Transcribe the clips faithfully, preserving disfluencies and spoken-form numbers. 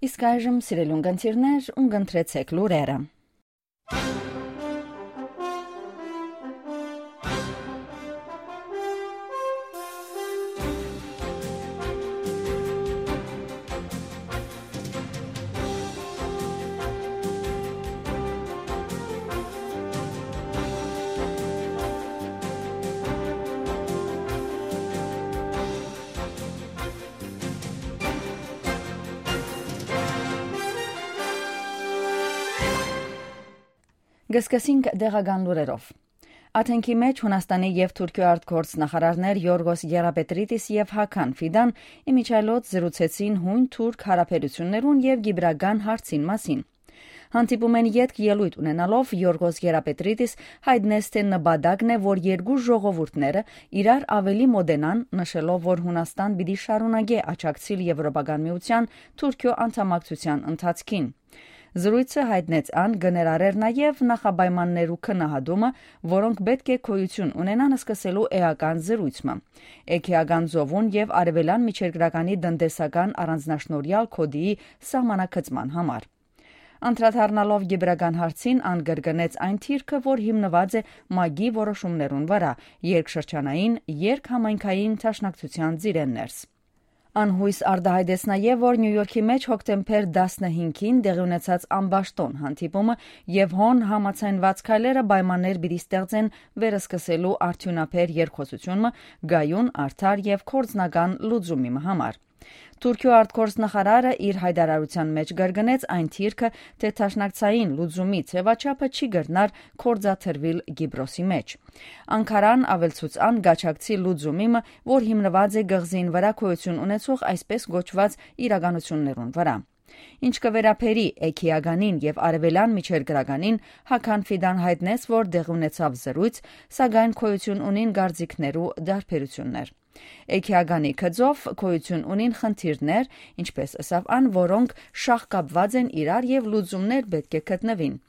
Իսկ այժմ, սիրելի ունգընտիրներ, ունգընտրեցէք լուրերը։ Կը սկսենք տեղական լուրերով։ Աթենքի մէջ Յունաստանի եւ Թուրքիոյ արտգործ նախարարներ Յորգոս Գերապետրիտիս եւ Հական Ֆիդան ի միջայլոց զրուցեցին յոյն թուրք յարաբերութիւններուն եւ կիպրական հարցին մասին։ Հանդիպումէն ետք ելոյթ ունենալով Յորգոս Գերապետրիտիս յայտնեց, թէ նպատակն է, որ երկու ժողովուրդները իրար աւելի մօտենան, նշելով, որ Յունաստան պիտի շարունակէ աջակցիլ Եվրոպական Միութեան Թուրքիոյ անդամակցութեան ընթացքին։ Զրոյցը, յայտնեց ան, կը ներառէր նաեւ նախապայմաններու քննադատումը, որոնք պէտք է գոյութիւն ունենան սկսելու էական զրոյց մը։ Էգեական ծովուն եւ Արեւելեան Միջերկրականի տնտեսական առանձնաշնորհեալ գօտիի սահմանագծման համար։ Անդրադառնալով կիպրական հարցին, ան կրկնեց այն դիրքը, որ հիմնուած է մագի որոշումներուն վրայ, երկշրջանային, երկհամայնքային դաշնակցութեան ծիրէն ներս։ Ան յոյս արտայայտեց նաեւ, որ Նիու Յորքի մէջ հոկտեմբեր տասնհինգին տեղի ունեցած ամբաշտոն հանդիպումը եւ հոն համաձայնուած քայլերը պայմաններ պիտի ստեղծեն վերսկսելու արդիւնաբեր երկխօսութիւն մը կայուն, արդար եւ գործնական լուծումի մը համար։ Թուրքիոյ արտգործ նախարարը իր յայտարարութեան մէջ կրկնեց այն դիրքը, թէ դաշնակցային լուծումի ձեւաչափը չի կրնար գործադրուիլ Կիպրոսի մէջ։ Անկարան աւելցուց ան կաջակցի լուծումի մը, որ հիմնուած է կղզին վրայ գոյութիւն ունեցող այսպես կոչուած իրականութիւններուն վրայ։ Ինչ կը վերաբերի Էգեականին եւ Արեւելեան Միջերկրականին, Հական Ֆիդան յայտնեց, որ տեղի ունեցաւ զրոյց, սակայն գոյութիւն ունին կարծիքներու տարբերութիւններ։ Էգեականի գծով գոյութիւն ունին խնդիրներ, ինչպես ըսաւ ան, որոնք շաղկապուած են իրար եւ լուծումներ պէտք է գտնուին։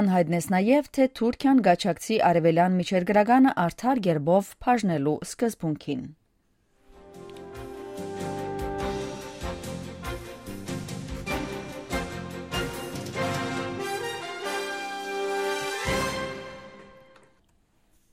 Ան յայտնեց նաեւ, թէ Թուրքիան կաջակցի Արեւելեան Միջերկրականը արդար կերպով բաժնելու սկզբունքին։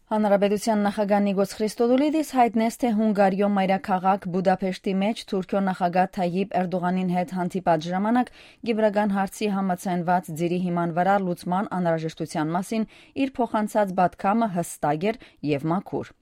Հանրապետութեան նախագահ Նիկոս Խրիստոդուլիդիս յայտնեց, թէ Հունգարիոյ մայրաքաղաք Բուդապեշտի մէջ Թուրքիոյ նախագահ Թայիպ Էրդողանին հետ հանդիպած ժամանակ կիպրական հարցի համաձայնուած ծիրի հիման վրայ լուծման անհրաժեշտութեան մասին իր փոխանցած պատգամը յստակ էր եւ մաքուր։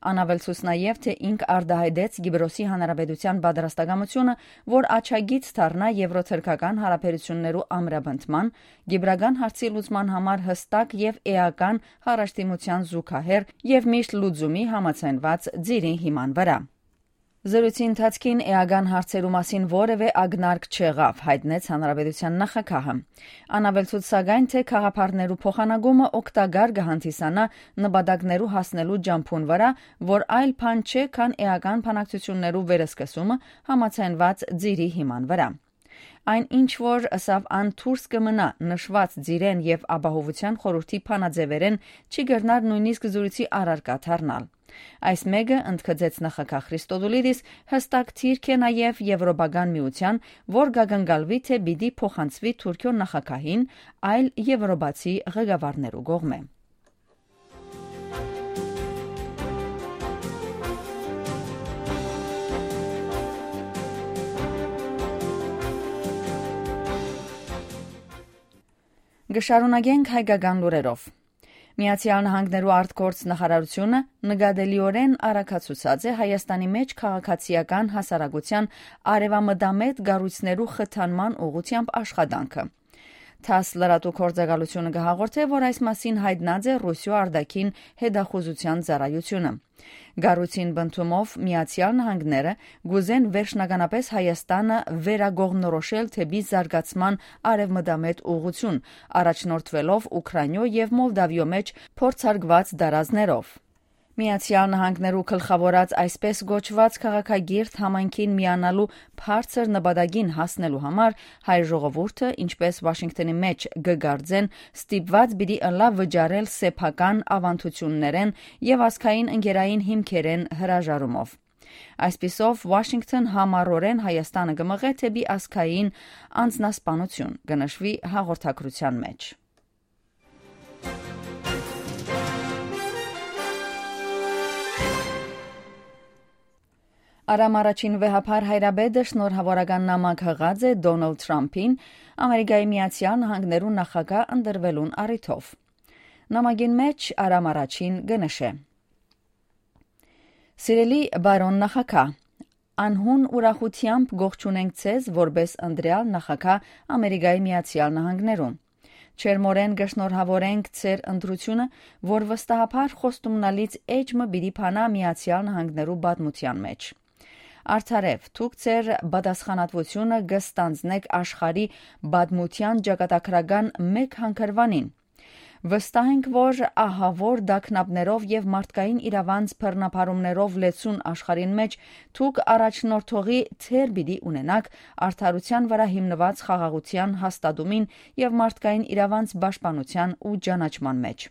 Ան աւելցուց նաեւ, թէ ինք արտայայտեց Կիպրոսի Հանրապետութեան պատրաստակամութիւնը, որ աջակից դառնայ եվրոթրքական յարաբերութիւններու ամրապնդման, կիպրական հարցի լուծման համար յստակ եւ էական յառաջդիմութեան զուգահեռ եւ միշտ լուծումի համաձայնուած ծիրի հիման վրայ։ Զրույցի ընթացքին էական հարցերու մասին որեւէ ակնարկ չեղաւ, յայտնեց Հանրապետութեան նախագահը։ Ան աւելցուց, սակայն, թէ գաղափարներու փոխանակումը օգտակար կը հանդիսանայ նպատակներու հասնելու ճամբուն վրայ, որ այլ բան չէ, քան էական բանակցութիւններու վերսկսումը համաձայնուած ծիրի հիման վրայ։ Այն ինչ որ, ըսաւ ան, դուրս կը մնայ նշուած ծիրէն եւ ապահովութեան խորհուրդի բանաձեւերէն, չի կրնար նոյնիսկ զրույցի առարկայ դառնալ։ Այս մէկը, ընդգծեց նախագահ Խրիստոդուլիդիս, յստակ դիրք է նաեւ Եվրոպական Միութեան, որ կակնկալուի, թէ պիտի փոխանցուի Թուրքիոյ նախագահին այլ եվրոպացի ղեկավարներու կողմէ։ Կը շարունակենք հայկական լուրերով։ Միացեալ Նահանգներու արտգործ նախարարութիւնը նկատելիօրէն արագացուցած է Հայաստանի մէջ քաղաքացիական հասարակութեան արեւամտամետ կառոյցներու խթանման ուղղութեամբ աշխատանքը։ Թաս լրատու գործակալութիւնը կը հաղորդէ, որ այս մասին յայտնած է Ռուսիոյ արտաքին հետախուզութեան ծառայութիւնը։ Կառոյցին պնդումով Միացեալ Նահանգները կ'ուզեն վերջնականապես Հայաստանը վերակողմնորոշել դէպի զարգացման արեւմտամետ ուղղութիւն, առաջնորդուելով Ուքրայնիոյ եւ Մոլդավիոյ մէջ փորձարկուած տարազներով։ Միացեալ Նահանգներու գլխաւորած այսպես կոչուած քաղաքակիրթ համայնքին միանալու բարձր նպատակին հասնելու համար հայ ժողովուրդը, ինչպես Ուաշինկթոնի մէջ կը կարծեն, ստիպուած պիտի ըլլայ վճարել սեփական աւանդութիւններէն եւ ազգային ընկերային հիմքերէն հրաժարումով։ Այսպիսով, Ուաշինկթոն համառօրէն Հայաստանը կը մղէ դէպի ազգային անձնասպանութիւն, կը նշուի հաղորդագրութեան մէջ։ Արամ առաջին վեհափառ հայրապետը շնորհաւորական նամակ յղած է Դոնալդ Թրամփին՝ Ամերիկայի Միացյալ Նահանգներու նախագահ ընտրուելուն առիթով։ Նամակին մէջ Արամ առաջին կը նշէ. «Սիրելի բարոն նախագահ, անհուն ուրախութեամբ կողջունենք ձեզ որպէս ընտրեալ նախագահ Ամերիկայի Միացյալ Նահանգներու։ Ջերմօրէն կը շնորհաւորենք ձեր ընտրութիւնը, որ վստահաբար խոստումնալից էջ մը պիտի բանայ Միացյալ Նահանգներու պատմութեան մէջ։ Արդարեւ, դուք ձեր պատասխանատուութիւնը կը ստանձնէք աշխարհի պատմութեան ճակատագրական մէկ հանգրուանին։ Վստահ ենք, որ ահաւոր տագնապներով եւ մարդկային իրաւանց բռնաբարումներով լեցուն աշխարհին մէջ դուք առաջնորդողի դեր պիտի ունենաք արդարութեան վրայ հիմնուած խաղաղութեան հաստատումին եւ մարդկային իրաւանց պաշտպանութեան ու ճանաչման մէջ։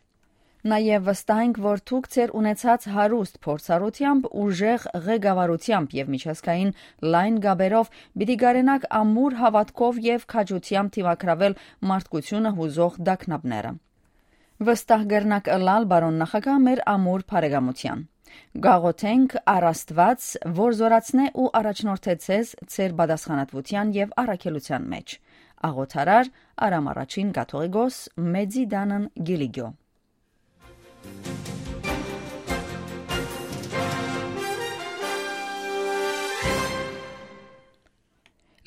Նաեւ վստահ ենք, որ դուք ձեր ունեցած հարուստ փորձառութեամբ, ուժեղ ղեկավարութեամբ եւ միջազգային լայն կապերով պիտի կարենաք ամուր հաւատքով եւ քաջութեամբ դիմագրաւել մարդկությունը յուզող տագնապները։ Վստահ կրնաք ըլլալ, բարոն նախագահ, մեր ամուր բարեկամութեան։ Կաղոթենք առ Աստուած, որ զօրացնէ ու առաջնորդէ ձեզ ձեր պատասխանատուութեան եւ առաքելութեան մէջ։ Աղոթարար՝ Արամ առաջին կաթողիկոս, Մեծի տանն, Կիլիկիո»։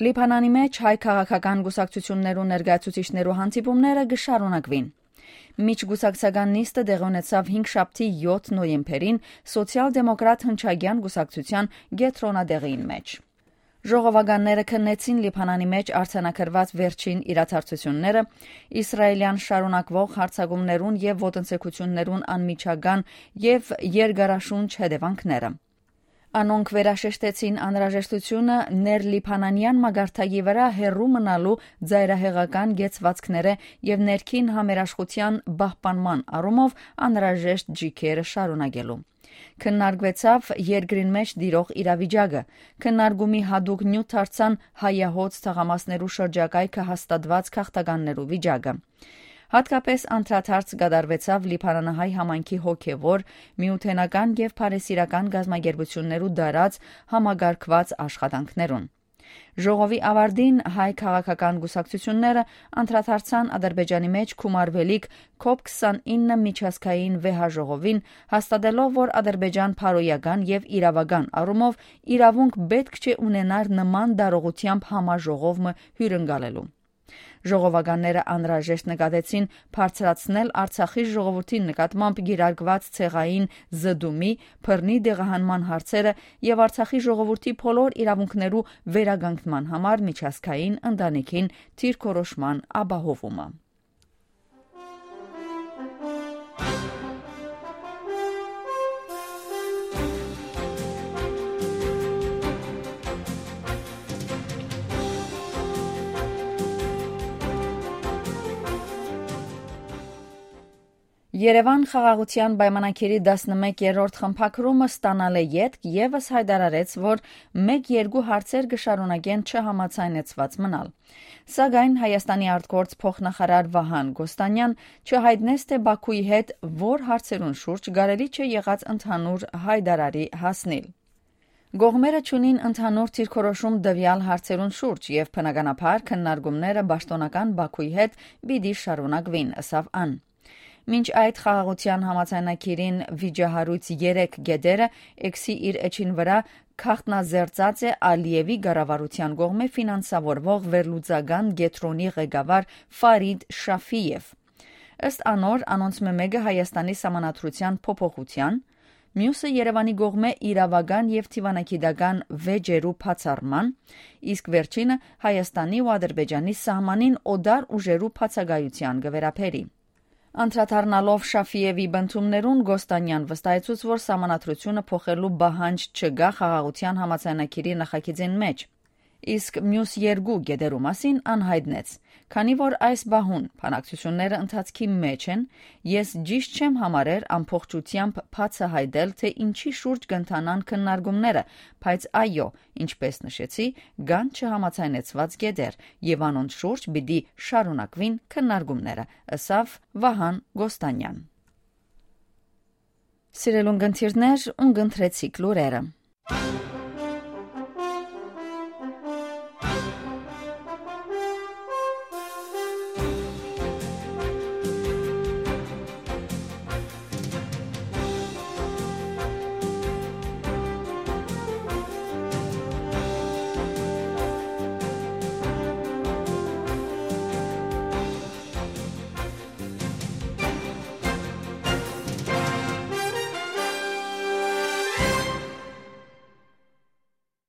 Լիբանանի մէջ հայ քաղաքական կուսակցութիւններու ներկայացուցիչներու հանդիպումները կը շարունակուին։ Միջկուսակցական նիստը տեղի ունեցաւ հինգշաբթի, յոթ նոյեմբերին, Սոցիալ-դեմոկրատ հնչակեան կուսակցութեան կեդրոնատեղիին մէջ։ Ժողովականները քննեցին Լիբանանի մէջ արձանագրուած վերջին իրադարձութիւնները, իսրայելեան շարունակուող յարձակումներուն եւ ոտնձգութիւններուն անմիջական եւ երկարաշունչ հետեւանքները։ Անոնք վերաշեշտեցին անհրաժեշտութիւնը ներլիբանանեան մակարդակի վրայ հեռու մնալու ծայրահեղական կեցուածքները եւ ներքին համերաշխութեան պահպանման առումով անհրաժեշտ ճիգերը շարունակելու։ Քննարկուեցաւ երկրին մէջ տիրող իրավիճակը։ Քննարկումի յատուկ նիւթ դարձան հայահոծ թաղամասներու շրջակայքը հաստատուած գաղթականներու վիճակը։ Յատկապես անդրադարձ կատարուեցաւ լիբանանահայ համայնքի հոգեւոր, միութենական եւ բարեսիրական կազմակերպութիւններու դարած համակարգուած աշխատանքներուն։ Ժողովի աւարտին հայ քաղաքական կուսակցութիւնները անդրադարձան Ադրբեջանի մէջ գումարուելիք կոպ քսանինը միջազգային վեհաժողովին, հաստատելով, որ Ադրբեջան բարոյական եւ իրաւական առումով իրաւունք պէտք չէ ունենար նման տարողութեամբ համաժողով մը հիւրընկալելու։ Ժողովականները անհրաժեշտ նկատեցին բարձրացնել Արցախի ժողովրդին նկատմամբ կիրարկուած ցեղային զտումի, բռնի տեղահանման հարցերը եւ Արցախի ժողովրդի բոլոր իրաւունքներու վերականգնման համար միջազգային ընտանիքին դիրքորոշման ապահովումը։ Երեւան խաղաղութեան պայմանագիրի տասնմեկերորդ խմբագրումը ստանալէ ետք եւս յայտարարեց, որ մէկ-երկու հարցեր կը շարունակեն չհամաձայնեցուած մնալ։ Սակայն Հայաստանի արտգործ փոխնախարար Վահան Կոստանյան չյայտնեց, թէ Բաքուի հետ որ հարցերուն շուրջ կարելի չէ եղած ընդհանուր յայտարարի հասնիլ։ Կողմերը չունին ընդհանուր դիրքորոշում տուեալ հարցերուն շուրջ եւ բնականաբար քննարկումները պաշտօնական Բաքուի հետ պիտի շարունակուին, ըսաւ ան։ Մինչ այդ խաղաղութեան համաձայնագիրին վիճահարույց երեք կետերը X-ի իր էջին վրա գաղտնազերծած է Ալիևի կառավարութեան կողմէ ֆինանսավորուող վերլուծական կեդրոնի ղեկավար Ֆարիդ Շաֆիեվ։ Ըստ անոր, անոնցմէ մէկը Հայաստանի սահմանադրութեան փոփոխութեան, միւսը Երեւանի կողմէ իրաւական եւ դիվանագիտական վեճերու բացառման, իսկ վերջինը Հայաստանի ու Ադրբեջանի սահմանին օտար ուժերու բացակայութեան կը վերաբերի։ Անդրադառնալով Շաֆիևի պնդումներուն, Կոստանյան վստահեցուց, որ սահմանադրութիւնը փոխելու պահանջ չկայ խաղաղութեան համաձայնագիրի նախագիծին մէջ։ իսկ միւս երկու կետերու մասին անյայտնեց։ Քանի որ այս պահուն բանակցութիւնները ընթացքի մէջ են, ես ճիշտ չեմ համարեր ամբողջութեամբ բացահայտել, թե ինչի շուրջ կ'ընթանան քննարկումները, բայց այո, ինչպես նշեցի, կան չհամաձայնեցուած կետեր եւ անոնց շուրջ պիտի շարունակուին քննարկումները, ըսաւ Վահան Կոստանեան։ Սիրելուն կընթիրներ, ուն կընտրեցիք լուրերը։